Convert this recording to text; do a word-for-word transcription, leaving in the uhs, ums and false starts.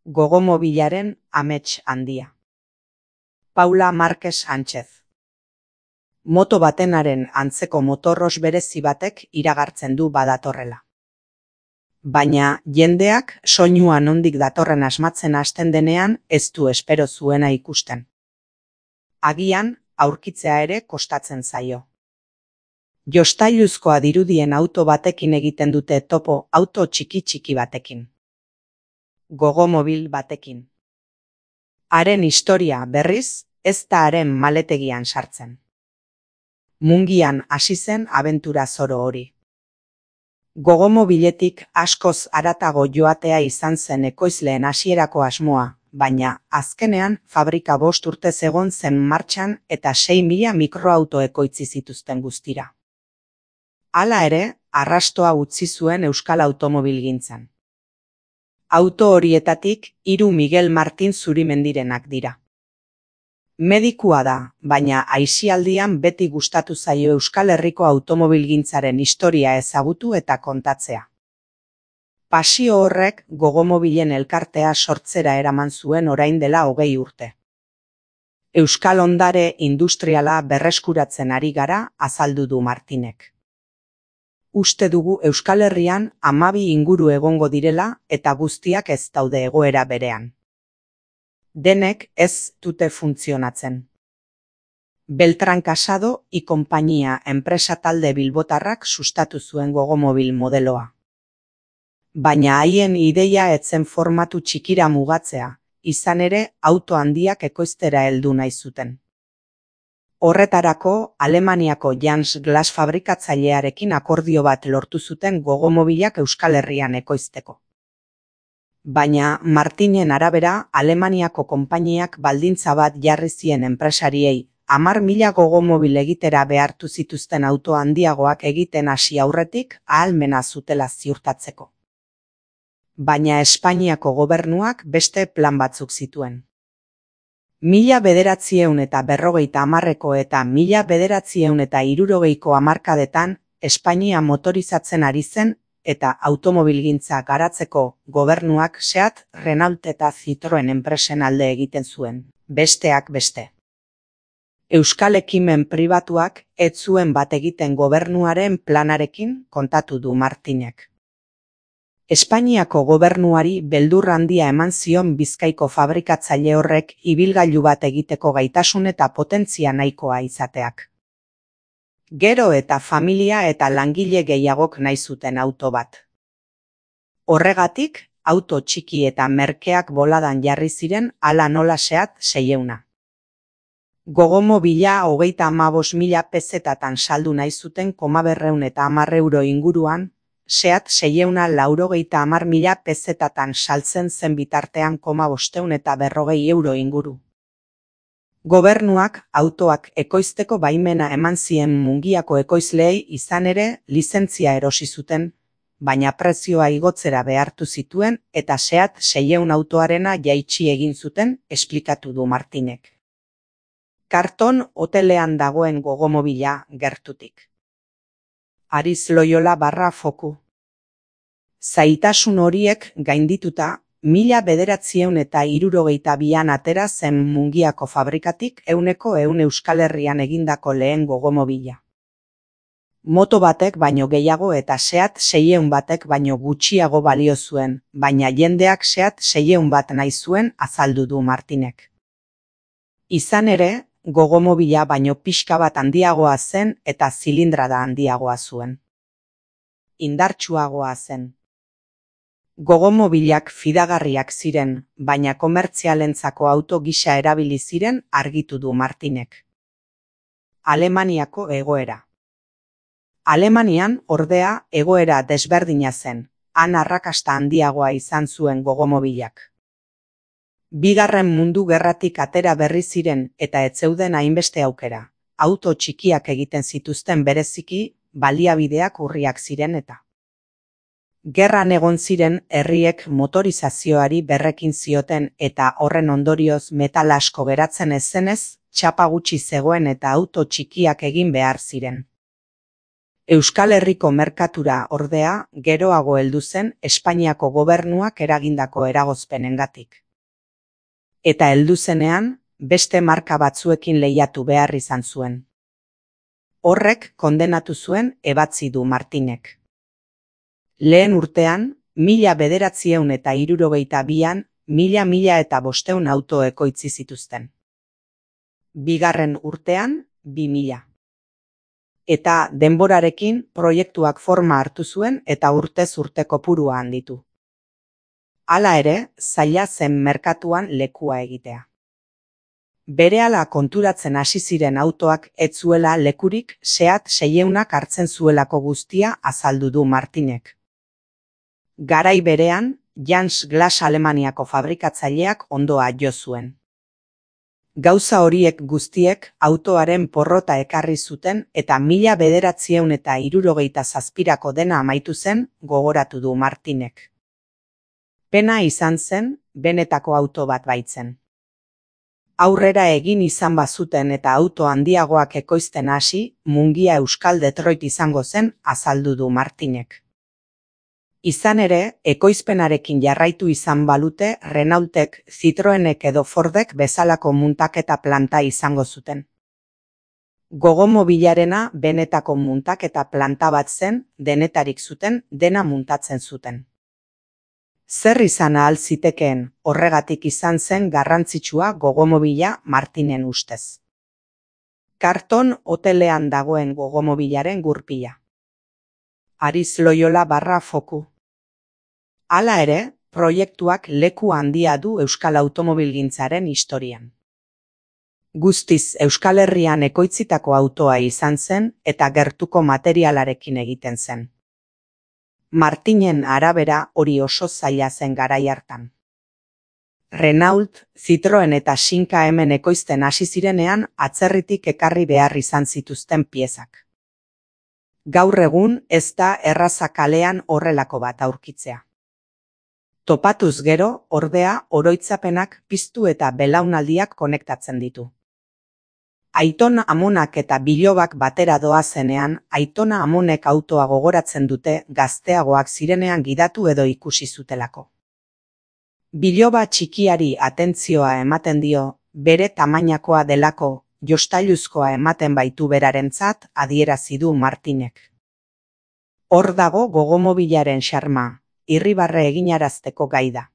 Gogomobilaren amets handia. Paula Márquez Sánchez. Moto batenaren antzeko motorros berezi batek iragartzen du badatorrela. Baina jendeak soinua nondik datorren asmatzen hasten denean ez du espero zuena ikusten. Agian aurkitzea ere kostatzen zaio. Jostailuzkoa dirudien auto batekin egiten dute topo auto txiki-txiki batekin. Gogomobil batekin. Haren historia berriz ez da haren maletegian sartzen. Mungian hasi zen abentura zoro hori. Gogomobiletik askoz haratago joatea izan zen ekoizleen hasierako asmoa, baina azkenean fabrika bost urtez egon zen martxan eta sei mila mikroauto ekoitzi zituzten guztira. Hala ere, arrastoa utzi zuen euskal automobilgintzan. Auto horietatik hiru Miguel Martin Zurimendirenak dira. Medikua da, baina aisialdian beti gustatu zaio Euskal Herriko automobilgintzaren historia ezagutu eta kontatzea. Pasio horrek gogomobilen elkartea sortzera eraman zuen orain dela hogei urte. Euskal ondare industriala berreskuratzen ari gara, azaldu du Martinek. Uste dugu Euskal Herrian hamabi inguru egongo direla eta guztiak ez daude egoera berean. Denek ez dute funtzionatzen. Beltran Casado y Compañía enpresa talde bilbotarrak sustatu zuen gogomobil modeloa. Baina haien ideia etzen formatu txikira mugatzea, izan ere auto handiak ekoiztera heldu nahi zuten. Horretarako, Alemaniako Jans Glas fabrikatzailearekin akordio bat lortu zuten gogomobilak Euskal Herrian ekoizteko. Baina Martinen arabera, Alemaniako konpainiak baldintza bat jarri zien enpresariei, hamar mila gogomobil egitera behartu zituzten auto handiagoak egiten hasi aurretik ahalmena zutela ziurtatzeko. Baina Espainiako gobernuak beste plan batzuk zituen. Mila bederatziehun eta berrogeita hamarreko eta mila bederatziehun eta hirurogeiko hamarkadetan Espainia motorizatzen ari zen eta automobilgintza garatzeko gobernuak Seat, Renault eta Citroen enpresen alde egiten zuen, besteak beste. Euskal ekimen pribatuak ez zuen bat egiten gobernuaren planarekin, kontatu du Martinek. Espainiako gobernuari beldur handia eman zion Bizkaiko fabrikatzaile horrek ibilgailu bat egiteko gaitasun eta potentzia nahikoa izateak. Gero eta familia eta langile gehiagok nahi zuten auto bat. Horregatik, auto txiki eta merkeak boladan jarri ziren hala nola Seat seieuna. Gogomobila hogeita hamabost mila pezetatan saldu nahi zuten koma berreun eta hamar euro inguruan, Seat seieuna laurogeita hamar mila pezetatan saltzen zen bitartean koma bosteun eta berrogei euro inguru. Gobernuak autoak ekoizteko baimena eman zien Mungiako ekoizleei izan ere lizentzia erosi zuten, baina prezioa igotzera behartu zituen eta Seat seieun autoarena jaitsi egin zuten, esplikatu du Martinek. Karton hotelean dagoen gogomobila gertutik. Ariz Loyola barra foku. Zaitasun horiek gaindituta, mila bederatziehun eta hirurogeita bian atera zen Mungiako fabrikatik ehuneko ehun Euskal Herrian egindako lehen gogomobila. Moto batek baino gehiago eta Seat seieun batek baino gutxiago balio zuen, baina jendeak Seat seieun bat nahi zuen, azaldu du Martinek. Izan ere, gogomobila baino pixka bat handiagoa zen eta zilindrada handiagoa zuen. Indartsuagoa zen. Gogomobilak fidagarriak ziren, baina komertzialentzako auto gisa erabili ziren, argitu du Martinek. Alemaniako egoera. Alemanian, ordea, egoera desberdina zen, han arrakasta handiagoa izan zuen gogomobilak. Bigarren mundu gerratik atera berri ziren eta ez zeuden hainbeste aukera, auto txikiak egiten zituzten bereziki, baliabideak urriak ziren eta. Gerran egon ziren herriek motorizazioari berrekin zioten eta horren ondorioz metal asko geratzen ez zenez, txapa gutxi zegoen eta auto txikiak egin behar ziren. Euskal Herriko merkatura ordea geroago heldu zen Espainiako gobernuak eragindako eragozpenengatik. Eta heldu zenean, beste marka batzuekin lehiatu behar izan zuen. Horrek kondenatu zuen ebatzi du Martinek. Lehen urtean, mila bederatziehun eta hirurogeita bian, mila mila eta bosteun auto ekoitzi zituzten. Bigarren urtean, bi mila. Eta denborarekin proiektuak forma hartu zuen eta urtez urte kopurua handitu. Hala ere, zaila zen merkatuan lekua egitea. Berehala konturatzen hasi ziren autoak ez zuela lekurik Seat seiehunak hartzen zuelako guztia azaldu du Martinek. Garai berean, Jans Glass Alemaniako fabrikatzaileak ondoa jo zuen. Gauza horiek guztiek autoaren porrota ekarri zuten eta mila bederatziehun eta hirurogeita zazpirako dena amaitu zen gogoratu du Martinek. Pena izan zen, benetako auto bat baitzen. Aurrera egin izan bazuten eta auto handiagoak ekoizten hasi, Mungia Euskal Detroit izango zen azaldu du Martinek. Izan ere, ekoizpenarekin jarraitu izan balute Renaultek, Citroenek edo Fordek bezalako muntaketa planta izango zuten. Gogomobilarena benetako muntaketa planta bat zen, denetarik zuten, dena muntatzen zuten. Zer izan ahal zitekeen, horregatik izan zen garrantzitsua gogomobila Martinen ustez. Karton hotelean dagoen gogomobilaren gurpila. Ariz Loyola barra foku. Hala ere, proiektuak leku handia du euskal automobilgintzaren historian. Guztiz Euskal Herrian ekoitzitako autoa izan zen eta gertuko materialarekin egiten zen. Martinen arabera hori oso zaila zen garai hartan. Renault, Citroen eta Shinka hemen ekoizten hasi zirenean atzerritik ekarri behar izan zituzten piezak. Gaur egun ez da erraza kalean horrelako bat aurkitzea. Topatuz gero, ordea, oroitzapenak piztu eta belaunaldiak konektatzen ditu. Aiton Amonak eta Bilobak batera doazenean, Aitona Amonek autoa gogoratzen dute gazteagoak zirenean gidatu edo ikusi zutelako. Biloba txikiari atentzioa ematen dio, bere tamainakoa delako, jostailuzkoa ematen baitu berarentzat adierazi du Martinek. Hor dago gogomobilaren xarma, irribarre eginarazteko gai da.